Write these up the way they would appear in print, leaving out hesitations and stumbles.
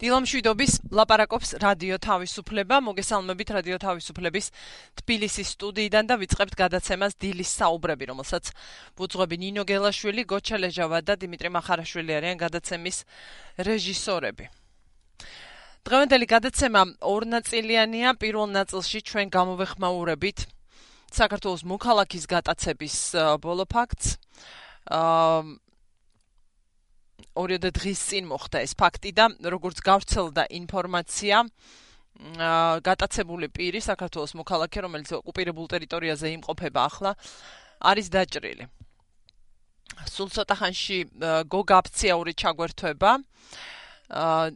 დილამშვიდობის ლაპარაკობს რადიო თავისუფლება, მოგესალმებით რადიო თავისუფლების თბილისის სტუდიიდან და ვიწყებთ გადაცემას დილის საუბრები, რომელსაც ვუძღვები ნინო გელაშვილი, გოჩა ლეჟავა და დიმიტრი მახარაშვილი არიან გადაცემის რეჟისორები. დღევანდელი გადაცემა ორნაწილიანია. პირველ ნაწილში ჩვენ გამოვეხმაურებით საქართველოს მოქალაქის გატაცების ბოლო ფაქტს. ორიოდე დღის წინ მოხდა ეს ფაქტი და როგორც გავრცელდა ინფორმაცია, გატაცებული პირი საქართველოს მოქალაქე, რომელიც ოკუპირებულ ტერიტორიაზე იმყოფება ახლა, არის დაჭრილი. სულ ცოტა ხანში გოგა აფციაური ჩაგვერთვება,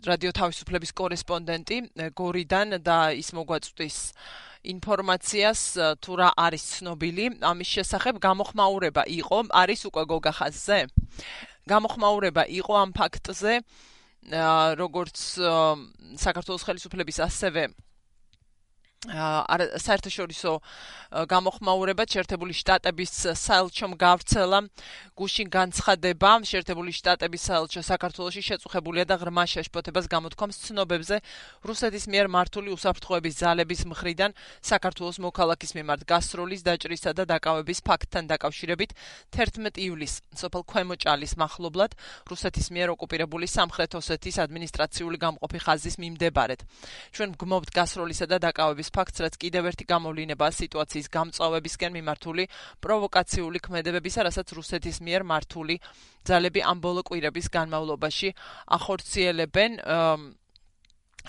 რადიო თავისუფლების კორესპონდენტი გორიდან და ის მოგვაწვდის ინფორმაციას თუ რა არის ცნობილი ამის შესახებ. გამოხმაურება იყო, არის უკვე გოგა ხაზზე? გამოხმაურება იყო ამ ფაქტზე, როგორც საქართველოს ხელისუფლების ასევე საერთაშორისო გამოხმაურება შეერთებული შტატების საელჩომ გავრცელა გუშინ განცხადება. შეერთებული შტატების საელჩო საქართველოში შეწუხებულია და ღრმა შეშფოთებას გამოთქვამს ცნობებზე რუსეთის მიერ მართული უსაფრთხოების ძალების მხრიდან საქართველოს მოქალაქის მიმართ გასროლის, დაჭრისა და დაკავების ფაქტთან დაკავშირებით 11 ივლისს სოფელ ქვემოჭალის მახლობლად რუსეთის მიერ ოკუპირებული სამხრეთ ოსეთის ადმინისტრაციული გამყოფი ხაზის მიმდებარედ. ჩვენ ვგმობთ გასროლისა და დაკავების ფაქტს, რაც კიდევ ერთი გამოვლინებაა სიტუაციის გამწვავებისკენ მიმართული პროვოკაციული ქმედებებისა, რასაც რუსეთის მიერ მართული ძალები ამ ბოლო კვირების განმავლობაში ახორციელებენ.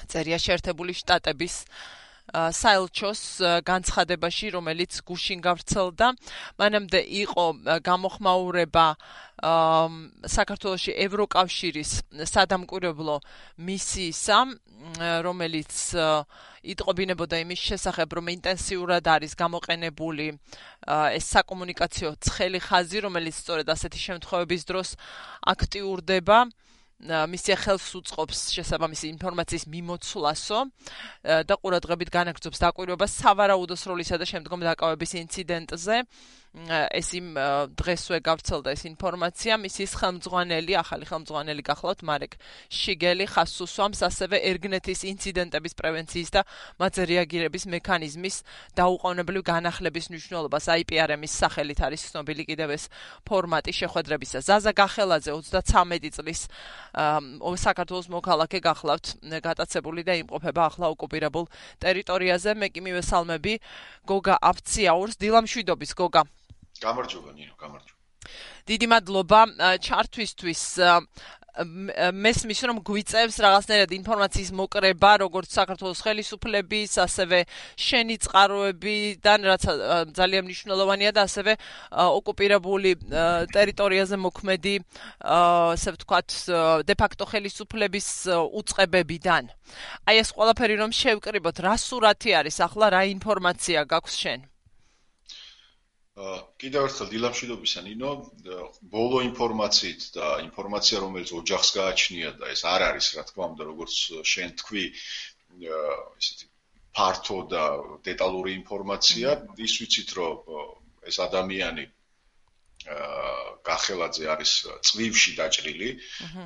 წერია შეერთებული შტატების საელჩოს განცხადებაში, რომელიც გუშინ გავრცელდა. მანამდე იყო გამოხმაურება საქართველოში ევროკავშირის სადამკვირვებლო მისიისა, რომელიც იტყობინებოდა იმის შესახებ, რომ ინტენსიურად არის გამოყენებული ეს საკომუნიკაციო ცხელი ხაზი, რომელიც სწორედ ასეთი შემთხვევების დროს აქტიურდება. მისია ხელს უწყობს შესაბამისი ინფორმაციის მიმოცვლასო და ყურადღებით განაგრძობს დაკვირვებას სავარაუდო სროლისა და შემდგომ დაკავების ინციდენტზე. ეს იმ დღესვე გავრცელდა ეს ინფორმაცია. მისის ხელმძღვანელი, ახალი ხელმძღვანელი გახლავთ მარეკ შიგელი ხაზს უსვამს ასევე ერგნეთის ინციდენტების პრევენციის და მათზე რეაგირების მექანიზმის დაუყოვნებლივ განახლების მნიშვნელობას. IPRM-ის სახელით არის ცნობილი კიდევ ეს ფორმატი შეხვედრებისა. ზაზა გახელაძე 33 წლის საქართველოს მოქალაქე გახლავთ გატაცებული და იმყოფება ახლა ოკუპირებულ ტერიტორიაზე. მე კი მივესალმები გოგა აფციაურს. დილამშვიდობის გოგა. გამარჯობა ნინო, გამარჯობა. დიდი მადლობა ჩართვისთვის. მესმის რომ გვიწევს რაღაცნაირად ინფორმაციის მოკრება, როგორც საქართველოს ხელისუფლების, ასევე შენი წყაროებიდან, რაც ძალიან მნიშვნელოვანია და ასევე ოკუპირებული ტერიტორიაზე მოქმედი, ასე ვთქვათ, დე-ფაქტო ხელისუფლების უწყებებიდან. აი ეს ყველაფერი რომ შევკრიბოთ, რა სურათი არის ახლა, რა ინფორმაცია გაქვს შენ? კიდევ ერთხელ დილამშვიდობისა ნინო, ბოლო ინფორმაციით და ინფორმაცია რომელიც ოჯახს გააჩნია და ეს არ არის რა თქმა უნდა როგორც შენ თქვი ესეთი ფართო და დეტალური ინფორმაცია. ის ვიცით რომ ეს ადამიანი გახელაძე არის წვივში დაჭრილი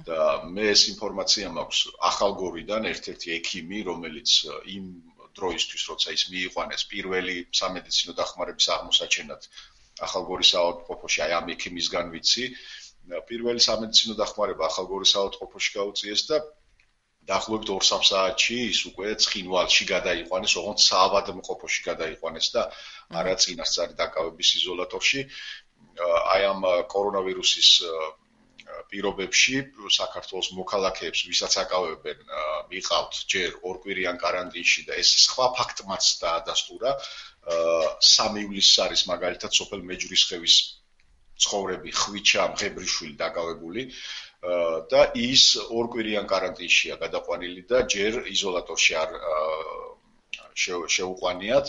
და მე ეს ინფორმაცია მაქვს ახალგორიდან ერთ-ერთი ექიმი, რომელიც იმ დროისთვის, როცა ის მიიყვანეს პირველი სამედიცინო დახმარების აღმოსაჩენად ახალგორის საავადმყოფოში, აი ამ ექიმისგან ვიცი, პირველი სამედიცინო დახმარება ახალგორის საავადმყოფოში გაუწიეს და დაახლოებით 2-3 საათში ის უკვე ცხინვალში გადაიყვანეს, ოღონდ საავადმყოფოში გადაიყვანეს და არა წინასწარი დაკავების იზოლატორში. აი ამ კორონავირუსის პირობებში საქართველოს მოქალაქეებს, ვისაც აკავებენ, მიყავთ ჯერ ორკვირიან კარანტინში და ეს სხვა ფაქტმაც დაადასტურა. 3 ივლისს არის მაგალითად სოფელ მეჯვრისხევის ცხოვრები ხვიჩა მღებრიშვილი დაკავებული და ის ორკვირიან კარანტინშია გადაყვანილი და ჯერ იზოლატორში არ შეუყვანიათ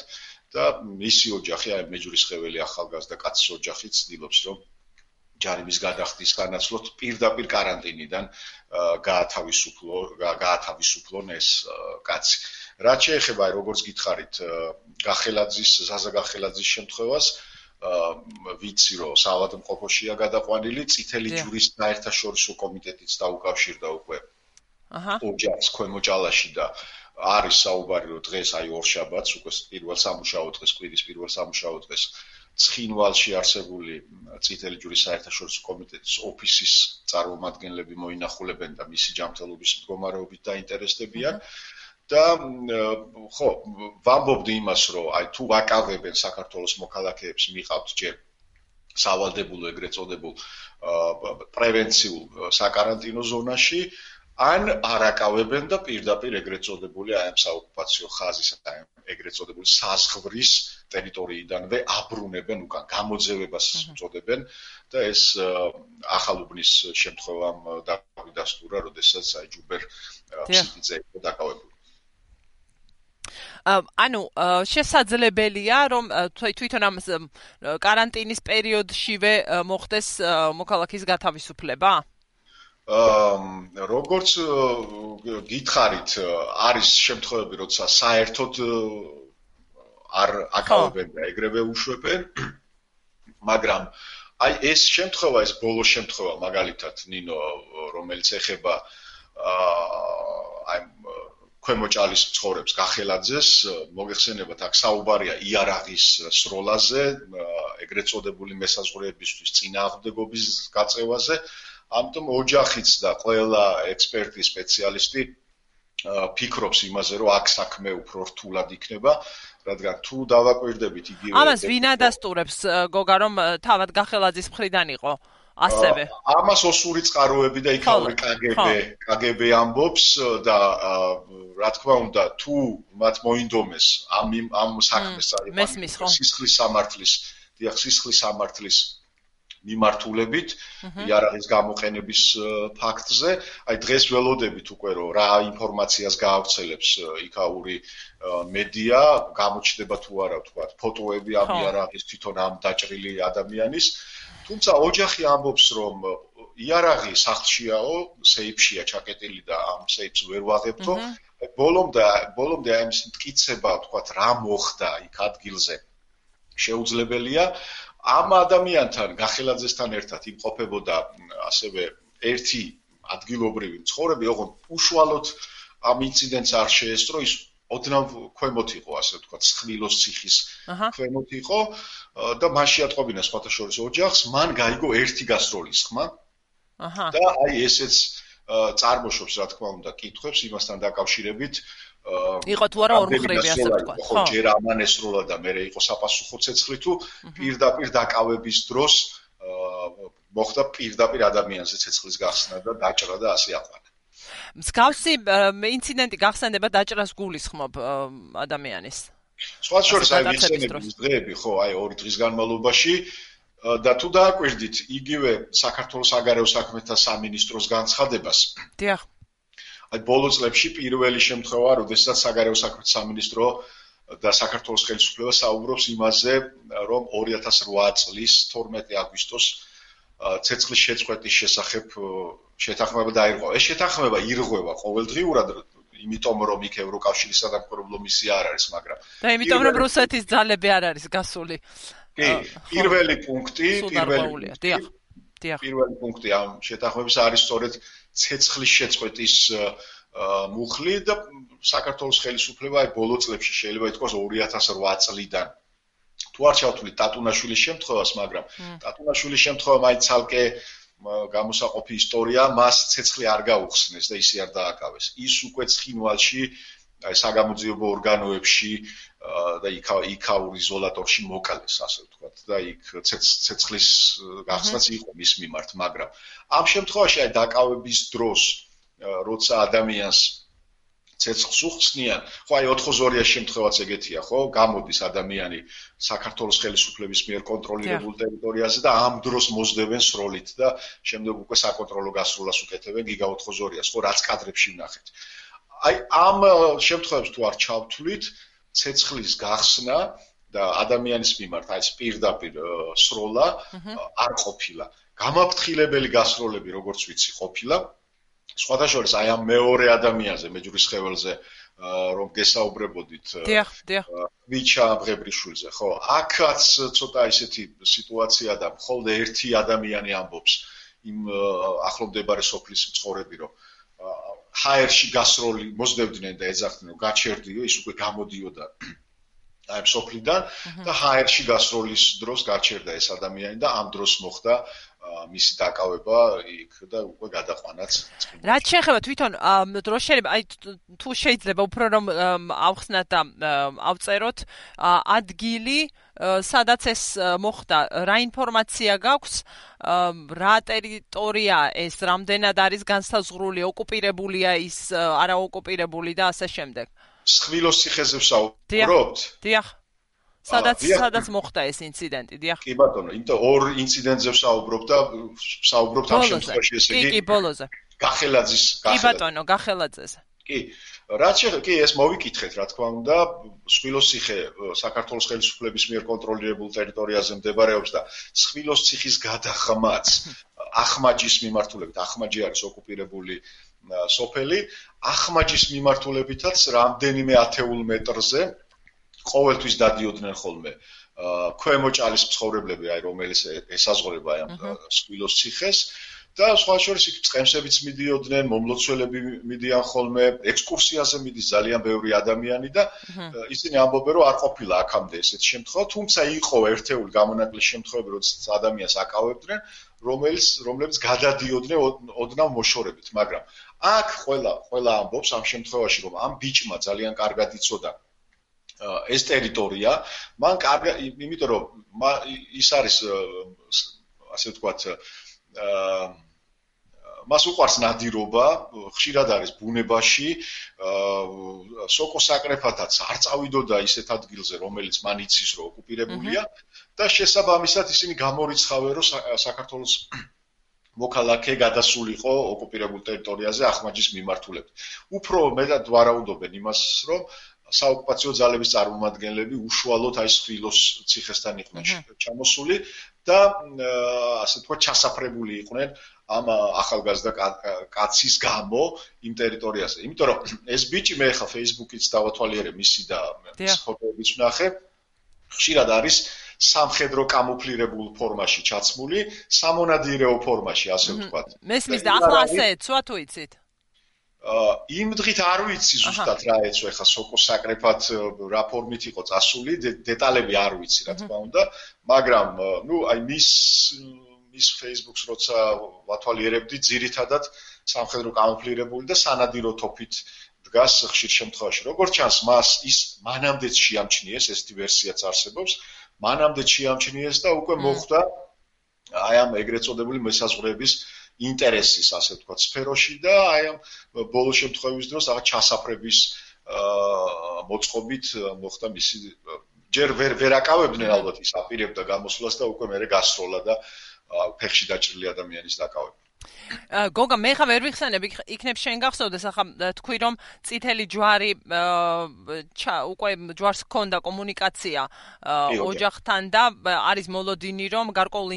და მისი ოჯახი, აი მეჯვრისხეველი ახალგაზრდა კაცის ოჯახი ცდილობს რომ ჯარიმის გადახდის განაცვლოთ პირდაპირ კარანტინიდან გაათავისუფლონ ეს კაცი. რაც შეეხება, როგორც გითხარით, ზაზა გახელაძის შემთხვევას, ვიცი რომ საავადმყოფოშია გადაყვანილი, წითელი ჯვრის საერთაშორისო კომიტეტიც დაუკავშირდა უკვე ოჯახს ქვემოჭალაში და არის საუბარი რომ დღეს აი ორშაბათს უკვე პირველ სამუშაო დღეს კვირის პირველ სამუშაო დღეს ცხინვალში არსებული წითელი ჯვრის საერთაშორისო კომიტეტის ოფისის წარმომადგენლები მოინახულებენ და მისი ჯანმრთელობის მდგომარეობით დაინტერესდებიან და ხო ვამბობდი იმას რომ აი თუ ვაკავებენ საქართველოს მოქალაქეებს მიყავთ ჯერ სავალდებულო ეგრეთ წოდებულ პრევენციულ საკარანტინო ზონაში ან არაკავებენ და პირდაპირ ეგრეთ წოდებული აი ამ საოკუპაციო ხაზის ეგრეთ წოდებული საზღვრის ტერიტორიიდანვე აბრუნებენ უკან გამოძევებას წოდებენ და ეს ახალუბნის შემთხვევამ დავიდასტურა, როდესაც აი ჯუბერ ფსიტიძე იყო დაკავებული. ანუ შესაძლებელია რომ თვითონ ამ კარანტინის პერიოდშივე მოხდეს მოქალაქის გათავისუფლება? როგორც გითხარით, არის შემთხვევები, როცა საერთოდ არ აკავებენ და ეგრევე უშვებენ, მაგრამ აი ეს შემთხვევა, ეს ბოლო შემთხვევა, მაგალითად, ნინო, რომელიც ეხება აი ქვემოჭალის მცხოვრებს გახელაძეს, მოგეხსენებათ, აქ საუბარია იარაღის სროლაზე, ეგრეთ წოდებული მესაზღვრეებისთვის წინააღმდეგობის გაწევაზე. ამიტომ ოჯახიც და ყველა ექსპერტი, სპეციალისტი ფიქრობს იმაზე, რომ აქ საქმე უფრო რთულად იქნება, რადგან თუ დავაკვირდებით იგივე ამას ვინ ადასტურებს, გოგა, რომ თავად გახელაძის მხრიდან იყო ასევე? ამას ოსური წყაროები და იქაური KGB ამბობს და რა თქმა უნდა, თუ მათ მოინდომეს ამ საქმეს სისხლის სამართლის მიმართულებით იარაღის გამოყენების ფაქტზე, აი დღეს ველოდებით უკვე რომ რა ინფორმაციას გაავრცელებს იქაური მედია, გამოჩნდება თუ არა თქვა ფოტოები ამ იარაღის თვითონ ამ დაჭრილი ადამიანის, თუმცა ოჯახი ამბობს რომ იარაღი სახლშიაო, სეიფშია ჩაკეტილი და ამ სეიფს ვერ ვაღებთო, ბოლომდე აი ეს მტკიცება თქვა რა მოხდა იქ ადგილზე შეუძლებელია. ამ ადამიანთან გახელაძესთან ერთად იმყოფებოდა ასევე ერთი ადგილობრივი მცხოვრები, ოღონდ უშუალოდ ამ ინციდენტს არ შეესწრო, ის ოდნავ ქვემოთ იყო, ასე ვთქვათ, სხვილოს ციხის ქვემოთ იყო და მან შეატყობინა სხვათა შორის ოჯახს, მან გაიგო ერთი გასროლის ხმა და აი ესეც წარმოშობს, რა თქმა უნდა, კითხვებს იმასთან დაკავშირებით. იყო თუ არა ორმხრივი, ასე ვთქვათ. ხო, ჯერ ამან ესროლა და მე იყო საპასუხო ცეცხლი თუ პირდაპირ დაკავების დროს მოხდა პირდაპირ ადამიანზე ცეცხლის გახსნა და დაჭრა და ასე აყვანა. მსგავსი ინციდენტი გახსენდება დაჭრას გულისხმობ ადამიანის. სხვათა შორის აი ვიხსენებთ დღეები, ხო, აი 2 დღის განმავლობაში და თუ დააკვირდით იგივე საქართველოს საგარეო საქმეთა სამინისტროს განცხადებას. დიახ. აი ბოლო წლებში პირველი შემთხვევა, როდესაც საგარეო საქმეთა სამინისტრო და საქართველოს ხელისუფლება საუბრობს იმაზე, რომ 2008 წლის 12 აგვისტოს ცეცხლის შეწყვეტის შესახებ შეთანხმება დაირღვა. ეს შეთანხმება ირღვევა ყოველდღიურად, იმიტომ რომ იქ ევროკავშირის სადამკვირვებლო მისია არ არის, მაგრამ და იმიტომ რომ რუსეთის ძალები არ არის გასული. კი, პირველი პუნქტი პირველი პუნქტი ამ შეთანხმების არის სწორედ ცეცხლის შეწყვეტის მუხლი და საქართველოს ხელისუფლება აი ბოლო წლებში შეიძლება ითქვას 2008 წლიდან თუ არ ჩავთვლით ტატუნაშვილის შემთხვევას, მაგრამ ტატუნაშვილის შემთხვევა მაინც ცალკე გამოსაყოფი ისტორია, მას ცეცხლი არ გაუხსნეს და ისე არ დააკავეს. ის უკვე ცხინვალში აი საგამოძიებო ორგანოებში და იქაურ იზოლატორში მოკალეს, ასე ვთქვათ, და იქ ცეცხლის გახსნაც იყო მის მიმართ, მაგრამ ამ შემთხვევაში აი დაკავების დროს, როცა ადამიანს ცეცხლს უხსნიან, ხო აი 4-2-იან შემთხვევაც ეგეთია, ხო? გამოდის ადამიანი საქართველოს ხელისუფლების მიერ კონტროლირებულ ტერიტორიაზე და ამ დროს მოსდევენ სროლით და შემდეგ უკვე საკონტროლო გასროლას უკეთებენ გიგა 4-2-ას, ხო, რაც კადრებში ვნახეთ. აი ამ შემთხვევებს თუ არ ჩავთვლით, ცეცხლის გახსნა და ადამიანის მიმართ აი ეს პირდაპირ სროლა არ ყოფილა. გამაფრთხილებელი გასროლები, როგორც ვიცი, ყოფილა. სხვათა შორის აი ამ მეორე ადამიანზე, მეჯურის ხეველზე, რომ გესაუბრებოდით, ვიჩა ბრებრიშვილზე, ხო, აქაც ცოტა ისეთი სიტუაცია და მხოლოდ ერთი ადამიანი ამბობს იმ ახლომდებარე სოფლის მცხოვრები, რომ ჰაერში გასროლი მოსდევდნენ და ეძახდნენ რომ გაჩერდიო, ის უკვე გამოდიოდა აი სოფლიდან და ჰაერში გასროლის დროს გაჩერდა ეს ადამიანი და ამ დროს მოხდა მისი დაკავება იქ და უკვე გადაყვანაც. რაც შეეხება თვითონ დროს შეიძლება აი თუ შეიძლება უფრო რომ ავხსნათ და ავწეროთ ადგილი სადაც ეს მოხდა, რა ინფორმაცია გაქვს, რა ტერიტორია ეს, რამდენად არის განსაზღვრული, ოკუპირებულია ის, არა ოკუპირებული და ასე შემდეგ. სხვილოს ციხეზე ვსაუბრობთ? დიახ. სადაც მოხდა ეს ინციდენტი, დიახ. კი ბატონო, იმიტომ ორ ინციდენტზე ვსაუბრობ და ვსაუბრობთ ამ შემთხვევაში ესე იგი. კი, ბოლოზე. გახელაძის. კი ბატონო, გახელაძეს. კი, რაც შეეხება, კი, ეს მოვიკითხეთ, რა თქმა უნდა, სხვილოს ციხე საქართველოს ხელისუფლების მიერ კონტროლირებულ ტერიტორიაზე მდებარეობს და სხვილოს ციხის გადაღმაც ახმაჯის მიმართულებით, ახმაჯი არის ოკუპირებული სოფელი, ახმაჯის მიმართულებითაც რამდენიმე ათეულ მეტრზე ყოველთვის დადიოდნენ ხოლმე ქვემო ჭალის მცხოვრებლები, აი რომელიც ესაზღვრება ამ სხვილოს ციხეს და სხვა შორის იქ წყემსებიც მიდიოდნენ, მომლოცველები მიდიან ხოლმე, ექსკურსიაზე მიდის ძალიან ბევრი ადამიანი და ისინი ამბობენ რომ არ ყოფილა აქამდე ესეთი შემთხვევა, თუმცა იყო ერთეული გამონაკლისი შემთხვევები, როდესაც ადამიანს აკავებდნენ, რომლებიც გადადიოდნენ ოდნავ მოშორებით, მაგრამ აქ ყველა ამბობს ამ შემთხვევაში რომ ამ ბიჭმა ძალიან კარგად იცოდა ეს ტერიტორია, მან კარგად, იმიტომ რომ ის არის ასე ვთქვათ მას უყვარს ნადირობა, ხშირად არის ბუნებაში, სოკო საკრეფათაც არ წავიდოდა ისეთ ადგილზე, რომელიც მან იცის რომ ოკუპირებულია და შესაბამისად ისინი გამორიცხავენ რომ საქართველოს მოქალაქე გადასულიყო ოკუპირებულ ტერიტორიაზე ახმაჯის მიმართულებით. უფრო მეტად ვარაუდობენ იმას, რომ საოკუპაციო ძალების წარმომადგენლები უშუალოდ აი სხვილოს ციხესთან იყვნენ ჩამოსული და ასე თქვა ჩასაფრებული იყვნენ ამ ახალგაზრდა კაცის გამო იმ ტერიტორიაზე. იმიტომ რომ ეს ბიჭი მე ხა Facebook-იც დავათვალიერე მისი და ფოტოებიც ვნახე, ხშირად არის სამხედრო კამუფლირებულ ფორმაში ჩაცმული, სამონადირეო ფორმაში, ასე ვთქვათ. მესმის და ახლა ასე ეცვა თუ იცით? იმ დღით არ ვიცი ზუსტად რა ეცვა, ხა სოკო საკრეფად რა ფორმით იყო წასული, დეტალები არ ვიცი, რა თქმა უნდა, მაგრამ ნუ აი მის Facebook-ს როცა ვათვალიერებდი, ძირითადად სამხედრო კამუფლირებული და სანადირო თოფით დგას ხშირ შემთხვევაში. როგორც ჩანს, მას ის მანამდეც შეამჩნიეს, ესეთი ვერსიაც არსებობს, მანამდეც შეამჩნიეს და უკვე მოხდა აი ამ ეგრეთ წოდებული მესაზღვრეების ინტერესის, ასე ვთქვათ, სფეროში და აი ამ ბოლო შემთხვევის დროს რაღაც ჩასაფრების მოწყობით მოხდა მისი ჯერ ვერ აკავებდნენ ალბათ ის აპირებდა გამოსვლას და უკვე მერე გასროლა და ფეხში დაჭრილი ადამიანის დაკავება. გოგა, მე ხა ვერ ვიხსენებ, იქნებ შენ გახსოვდეს, ახლა თქვი რომ წითელი ჯვარი უკვე ჯვარს ჰქონდა კომუნიკაცია ოჯახთან და არის მოლოდინი რომ გარკვეული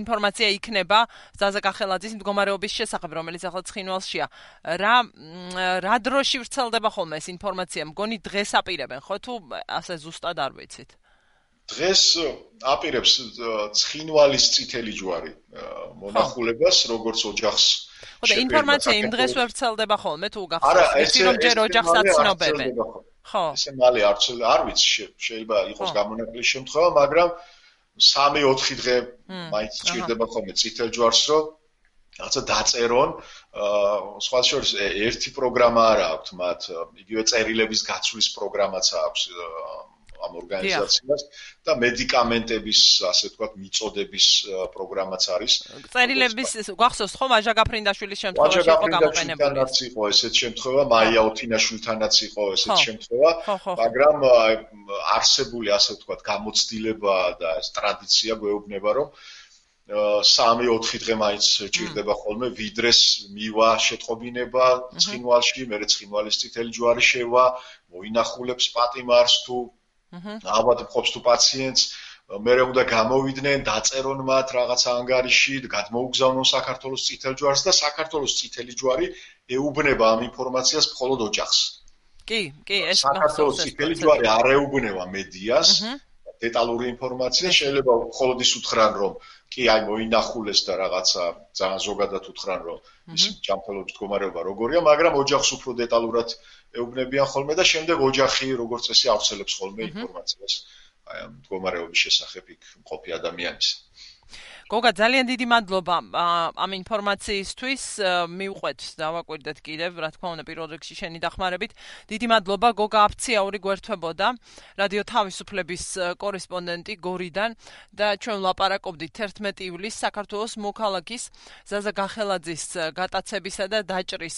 ინფორმაცია იქნება ზაზა კახელაძის მდგომარეობის შესახებ, რომელიც ახლა ცხინვალშია. რა დროში ვრცელდება ხოლმე ეს ინფორმაცია? მგონი დღეს აპირებენ, ხო თუ ასე ზუსტად არ ვიცით? დღეს აპირებს ცხინვალის წითელი ჯვარი მონახულებას, როგორც ოჯახს. ხო და ინფორმაცია იმ დღეს ვერ ვრცელდება ხოლმე თუ გახსოვს, რომ ჯერ ოჯახს აცნობებენ. ხო. ესე მალე არ ვიცი, შეიძლება იყოს გამონაკლისი შემთხვევა, მაგრამ 3-4 დღე მაინც სჭირდება ხოლმე წითელ ჯვარს, რომ რაღაცა დაწერონ. სხვა შორის ერთი პროგრამა არა აქვთ მათ, იგივე წერილების გაცვლის პროგრამაც აქვს ამ ორგანიზაციას და მედიკამენტების, ასე ვთქვათ, მიწოდების პროგრამაც არის. წერილების გახსოვს ხო ვაჟა გაფრინდაშვილის შემთხვევაში იყო გამოყენებული. ვაჟა იყო ესეთ შემთხვევა, მაია ოთინაშვილთანაც იყო ესეთ შემთხვევა, მაგრამ არსებული, ასე ვთქვათ, გამოცდილება და ეს ტრადიცია გვეუბნება, რომ 3-4 დღე მაინც ჭირდება ხოლმე ვიდრეს მივა შეტყობინება ცხინვალში, მერე ცხინვალის წითელი ჯვარი შევა, მოინახულებს პატიმარს თუ ავადმყოფს თუ პაციენტს, მერე უნდა გამოვიდნენ, დაწერონ მათ რაღაცა ანგარიში, გადმოუგზავნონ საქართველოს წითელ ჯვარს და საქართველოს წითელი ჯვარი ეუბნება ამ ინფორმაციას მხოლოდ ოჯახს. კი, ეს საქართველოს წითელი ჯვარი არ ეუბნება მედიას. დეტალური ინფორმაცია შეიძლება მხოლოდ ის უთხრან რომ კი აი მოინახულეს და რაღაცა ძალიან ზოგადად უთხრან რომ ის ჯანმრთელობის მდგომარეობა როგორია, მაგრამ ოჯახს უფრო დეტალურად ეუბნებიან ხოლმე და შემდეგ ოჯახი როგორც წესი ავრცელებს ხოლმე ინფორმაციას აი ამ მდგომარეობის შესახებ იქ მყოფი ადამიანის. გოგა, ძალიან დიდი მადლობა ამ ინფორმაციისთვის. მივყვეთ დავაკვირდეთ კიდევ, რა თქმა უნდა, პირველ რიგში შენი დახმარებით. დიდი მადლობა. გოგა აფციაური გვერდთვებოდა, რადიო თავისუფლების კორესპონდენტი გორიდან და ჩვენ ვლაპარაკობდით 11 ივლისს საქართველოს მოქალაქის ზაზა გახელაძის გატაცებისა და დაჭრის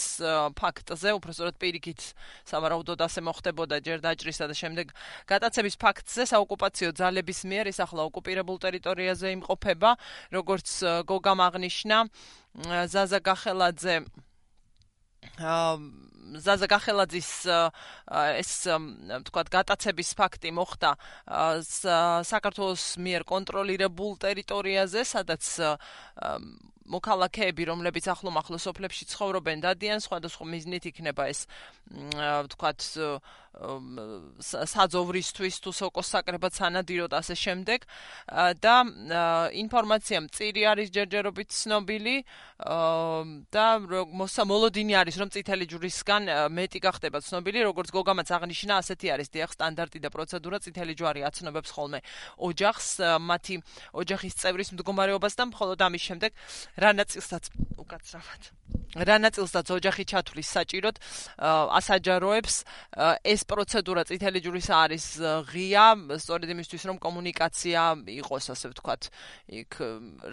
ფაქტზე, უბრალოდ პირიქით სავარაუდოდ ასე მოხდებოდა ჯერ დაჭრისა და შემდეგ გატაცების ფაქტზე საოკუპაციო ძალების მიერ ის ახლა ოკუპირებულ ტერიტორიაზე იმყოფება. როგორც გოგამ აღნიშნა, ზაზა გახელაძის ეს თქვათ გატაცების ფაქტი მოხდა საქართველოს მიერ კონტროლირებულ ტერიტორიაზე, სადაც მოქალაქეები, რომლებიც ახლომახლო სოფლებში ცხოვრობენ, დადიან, სხვადასხვა მიზნით იქნება ეს თქვათ საძოვრისთვის თუ სოკოს საკრებად სანადიროდ ასე შემდეგ და ინფორმაცია მწირი არის ჯერჯერობით ცნობილი და მოლოდინი არის რომ წითელი ჯვრისგან მეტი გახდება ცნობილი, როგორც გოგამაც აღნიშნა, ასეთი არის დიახ სტანდარტი და პროცედურა, წითელი ჯვარი აცნობებს ხოლმე ოჯახს, მათი ოჯახის წევრის მდგომარეობას და მხოლოდ ამის შემდეგ რა ნაწილსაც ოჯახი ჩათვლის საჭიროდ ასაჯაროებს ეს პროცედურა წითელი ჯვრისა არის ღია, სწორედ იმისთვის რომ კომუნიკაცია იყოს, ასე ვთქვათ, იქ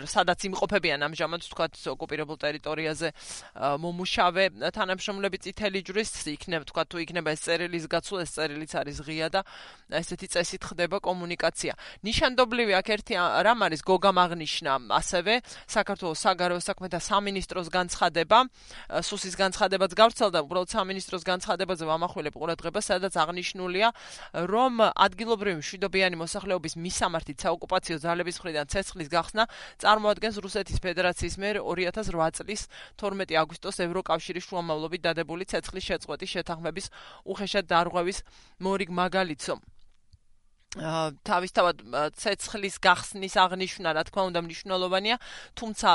სადაც იმყოფებიან ამჟამად ვთქვათ ოკუპირებულ ტერიტორიაზე მომუშავე თანამშრომლები წითელი ჯვრის, ვთქვათ თუ იქნება ეს წერილის გაცვლა, ეს წერილიც არის ღია და ესეთი წესით ხდება კომუნიკაცია. ნიშანდობლივი აქ ერთი რამ არის გოგამ აღნიშნა ასევე საქართველოს საგარეო საქმეთა სამინისტროს განცხადება, სუსის განცხადებაც გავრცელდა, უბრალოდ სამინისტროს განცხადებაზე ვამახვილებ ყურადღებას, სადაც აღნიშნულია, რომ ადგილობრივი მშვიდობიანი მოსახლეობის მისამართით საოკუპაციო ძალების მხრიდან ცეცხლის გახსნა წარმოადგენს რუსეთის ფედერაციის მიერ 2008 წლის 12 აგვისტოს ევროკავშირის შუამავლობით დადებული ცეცხლის შეწყვეტის შეთანხმების უხეშად დარღვევის მორიგ მაგალითო. თავისთავად ცეცხლის გახსნის აღნიშვნა, რა თქმა უნდა, მნიშვნელოვანია, თუმცა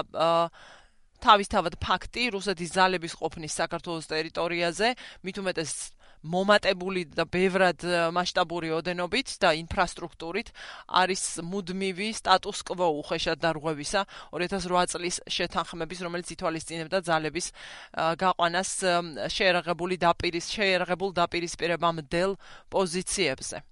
თავისთავად ფაქტი რუსეთის ძალების ყოფნის საქართველოს ტერიტორიაზე, მით უმეტეს მომატებული და ბევრად მასშტაბური ოდენობით და ინფრასტრუქტურით არის მუდმივი სტატუს კვო უხეშად დარღვევისა 2008 წლის შეთანხმების, რომელიც ითვალისწინებდა ძალების გაყვანას შეერაღებულ დაპირისპირებამდელ პოზიციებზე.